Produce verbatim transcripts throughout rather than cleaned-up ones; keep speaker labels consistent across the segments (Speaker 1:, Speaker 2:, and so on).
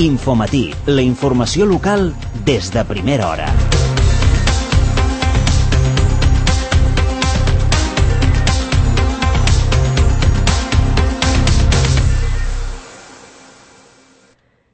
Speaker 1: Infomatí, la informació local des de primera hora.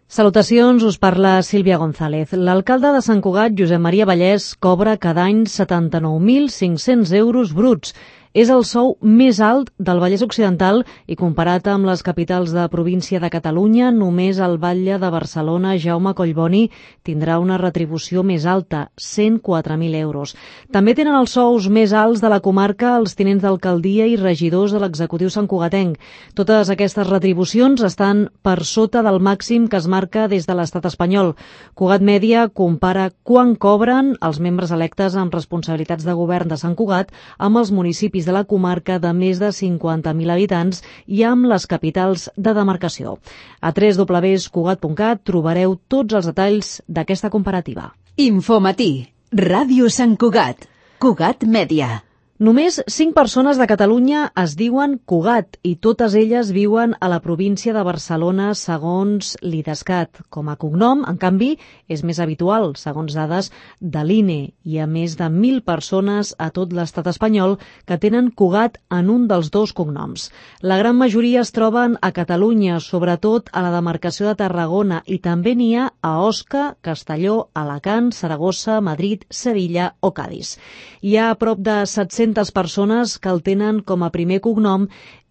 Speaker 2: Salutacions, us parla Sílvia González. L'alcalde de Sant Cugat, Josep Maria Vallès, cobra cada any setanta-nou mil cinc-cents euros bruts. És el sou més alt del Vallès Occidental i comparat amb les capitals de província de Catalunya, només el batlle de Barcelona, Jaume Collboni, tindrà una retribució més alta, cent quatre mil euros. També tenen els sous més alts de la comarca els tinents d'alcaldia i regidors de l'executiu santcugatenc. Totes aquestes retribucions estan per sota del màxim que es marca des de l'estat espanyol. Cugat Mèdia compara quan cobren els membres electes amb responsabilitats de govern de Sant Cugat amb els municipis de la comarca de més de cinquanta mil habitants i amb les capitals de demarcació. A w w w punt cugat punt cat trobareu tots els detalls d'aquesta comparativa.
Speaker 3: Infomatí, Ràdio Sant Cugat, Cugat Mèdia.
Speaker 2: Només cinc persones de Catalunya es diuen Cugat i totes elles viuen a la província de Barcelona segons l'IDESCAT. Com a cognom, en canvi, és més habitual, segons dades de l'I N E, i a més de mil persones a tot l'estat espanyol que tenen Cugat en un dels dos cognoms. La gran majoria es troben a Catalunya, sobretot a la demarcació de Tarragona, i també n'hi ha a Osca, Castelló, Alacant, Saragossa, Madrid, Sevilla o Cadis. Hi ha a prop de set-centes persones que el tenen com a primer cognom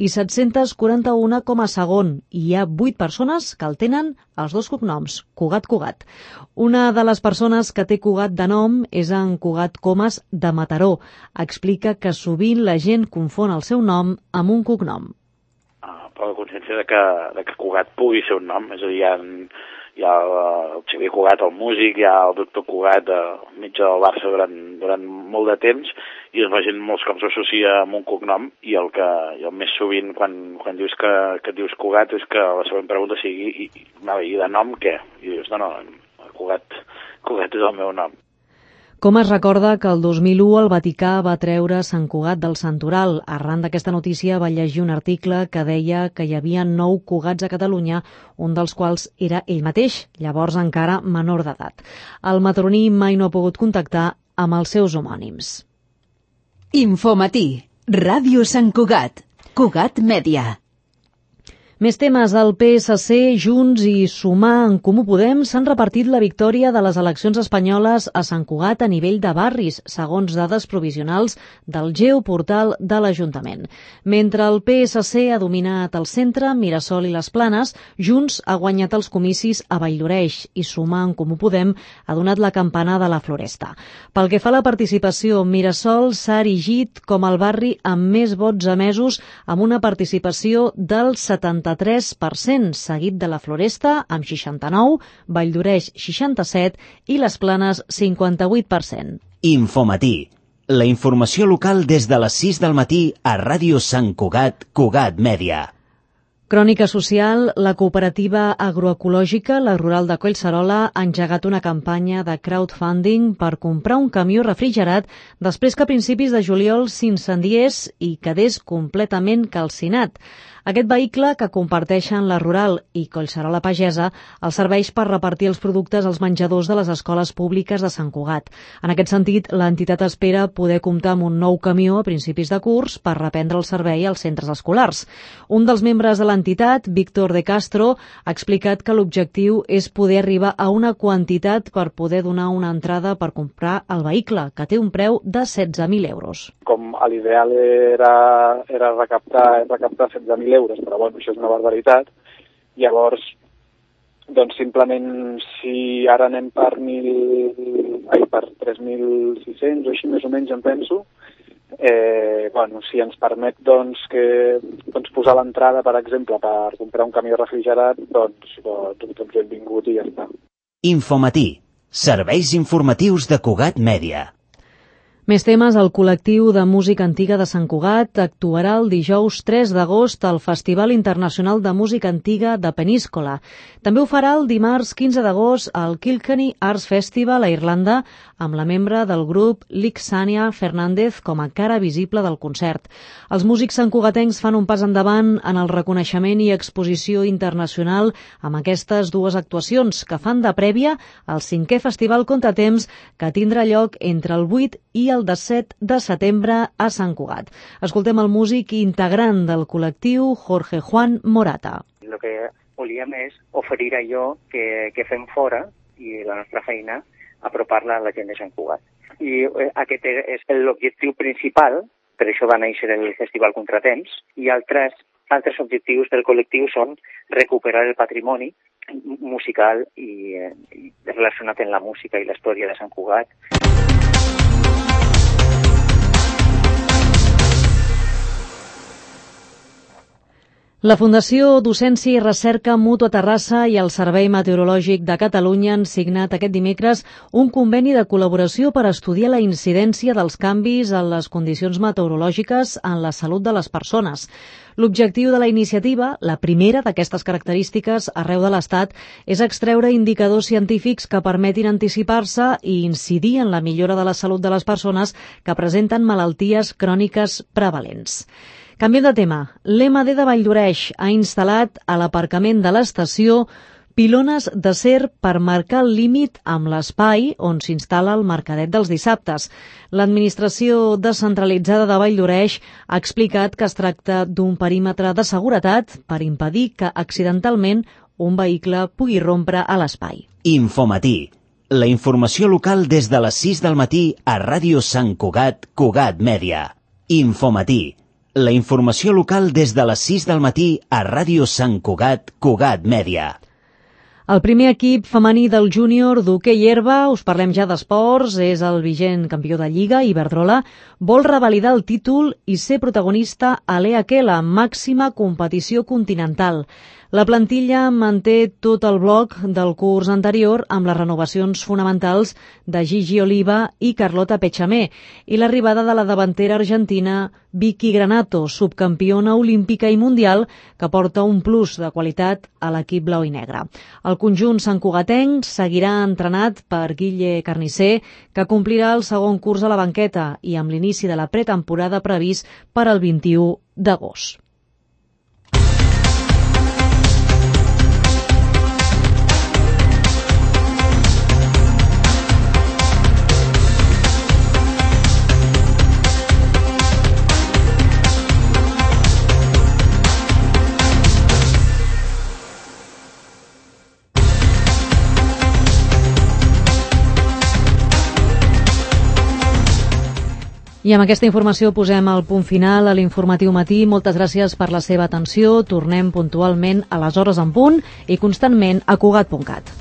Speaker 2: i set-cents quaranta-un com a segon, i hi ha vuit persones que el tenen els dos cognoms, Cugat-Cugat. Una de les persones que té Cugat de nom és en Cugat Comas de Mataró. Explica que sovint la gent confon el seu nom amb un cognom.
Speaker 4: Ah, per la consciència de que, de que Cugat pugui ser un nom, és a dir, hi ha, hi ha el Xavier Cugat, el músic, hi ha el doctor Cugat, el metge del Barça durant, durant molt de temps, i la gent molts cops s'associa amb un cognom, i el que jo més sovint quan, quan dius que, que dius Cugat és que la següent pregunta sigui i, i, i de nom què? I dius, no, no, Cugat, Cugat és el meu nom.
Speaker 2: Com es recorda que el dos mil u el Vaticà va treure Sant Cugat del santoral. Arran d'aquesta notícia va llegir un article que deia que hi havia nou Cugats a Catalunya, un dels quals era ell mateix, llavors encara menor d'edat. El mataroní mai no ha pogut contactar amb els seus homònims.
Speaker 3: Infomatí, Ràdio Sant Cugat, Cugat Mèdia.
Speaker 2: Més temes. El P S C, Junts i Sumar en Comú Podem s'han repartit la victòria de les eleccions espanyoles a Sant Cugat a nivell de barris, segons dades provisionals del geoportal de l'Ajuntament. Mentre el P S C ha dominat el centre, Mirasol i les Planes, Junts ha guanyat els comicis a Valldoreix i Sumar en Comú Podem ha donat la campana de la Floresta. Pel que fa a la participació, Mirasol s'ha erigit com el barri amb més vots emesos, amb una participació del setanta-tres per cent, seguit de la Floresta amb seixanta-nou, Valldoreix seixanta-set i les Planes cinquanta-vuit per cent.
Speaker 1: Infomatí, la informació local des de les sis del matí a Ràdio Sant Cugat, Cugat Mèdia.
Speaker 2: Crònica social, la cooperativa agroecològica, la Rural de Collserola, ha engegat una campanya de crowdfunding per comprar un camió refrigerat després que a principis de juliol s'incendiés i quedés completament calcinat. Aquest vehicle, que comparteixen la Rural i Collserola Pagesa, els serveix per repartir els productes als menjadors de les escoles públiques de Sant Cugat. En aquest sentit, l'entitat espera poder comptar amb un nou camió a principis de curs per reprendre el servei als centres escolars. Un dels membres de l'entitat, Víctor de Castro, ha explicat que l'objectiu és poder arribar a una quantitat per poder donar una entrada per comprar el vehicle, que té un preu de setze mil euros.
Speaker 5: Com l'ideal era, era recaptar, recaptar setze mil euros, però bueno, això és una barbaritat. Llavors, doncs simplement, si ara anem per mil, ai, per tres mil sis-cents o així més o menys, em penso, eh, bueno, si ens permet doncs, que, doncs, posar l'entrada, per exemple, per comprar un camió refrigerat, doncs, doncs, doncs benvingut i ja està.
Speaker 1: Infomatí, serveis informatius de Cugat Mèdia.
Speaker 2: Més temes, el col·lectiu de música antiga de Sant Cugat actuarà el dijous tres d'agost al Festival Internacional de Música Antiga de Peníscola. També ho farà el dimarts quinze d'agost al Kilkenny Arts Festival a Irlanda, amb la membre del grup Lixania Fernández com a cara visible del concert. Els músics santcugatencs fan un pas endavant en el reconeixement i exposició internacional amb aquestes dues actuacions que fan de prèvia al cinquè Festival Contratemps, que tindrà lloc entre el vuit i el disset de setembre a Sant Cugat. Escoltem el músic integrant del col·lectiu, Jorge Juan Morata.
Speaker 6: El que volíem és oferir allò que, que fem fora i la nostra feina, apropar-la a la gent de Sant Cugat. I aquest és l'objectiu principal, per això va néixer el Festival Contratemps, i altres, altres objectius del col·lectiu són recuperar el patrimoni musical i, i relacionat amb la música i la història de Sant Cugat.
Speaker 2: La Fundació Docència i Recerca Mútua Terrassa i el Servei Meteorològic de Catalunya han signat aquest dimecres un conveni de col·laboració per estudiar la incidència dels canvis en les condicions meteorològiques en la salut de les persones. L'objectiu de la iniciativa, la primera d'aquestes característiques arreu de l'Estat, és extreure indicadors científics que permetin anticipar-se i incidir en la millora de la salut de les persones que presenten malalties cròniques prevalents. Canviem de tema. l'E M A D de Valldoreix ha instal·lat a l'aparcament de l'estació pilones d'acer per marcar el límit amb l'espai on s'instal·la el mercadet dels dissabtes. L'administració descentralitzada de Valldoreix ha explicat que es tracta d'un perímetre de seguretat per impedir que accidentalment un vehicle pugui rompre a l'espai.
Speaker 1: Infomatí. La informació local des de les sis del matí a Ràdio Sant Cugat, Cugat Mèdia. Infomatí. La informació local des de les sis del matí a Ràdio Sant Cugat, Cugat Mèdia.
Speaker 2: El primer equip femení del júnior d'hoquei herba, us parlem ja d'esports, és el vigent campió de Lliga, Iberdrola, vol revalidar el títol i ser protagonista a l'E H L, màxima competició continental. La plantilla manté tot el bloc del curs anterior amb les renovacions fonamentals de Gigi Oliva i Carlota Pechamé i l'arribada de la davantera argentina Vicky Granato, subcampiona olímpica i mundial, que porta un plus de qualitat a l'equip blau i negre. El conjunt santcugatenc seguirà entrenat per Guille Carnicer, que complirà el segon curs a la banqueta i amb l'inici de la pretemporada previst per al vint-i-u d'agost. I amb aquesta informació posem el punt final a l'informatiu matí. Moltes gràcies per la seva atenció. Tornem puntualment a les hores en punt i constantment a Cugat punt cat.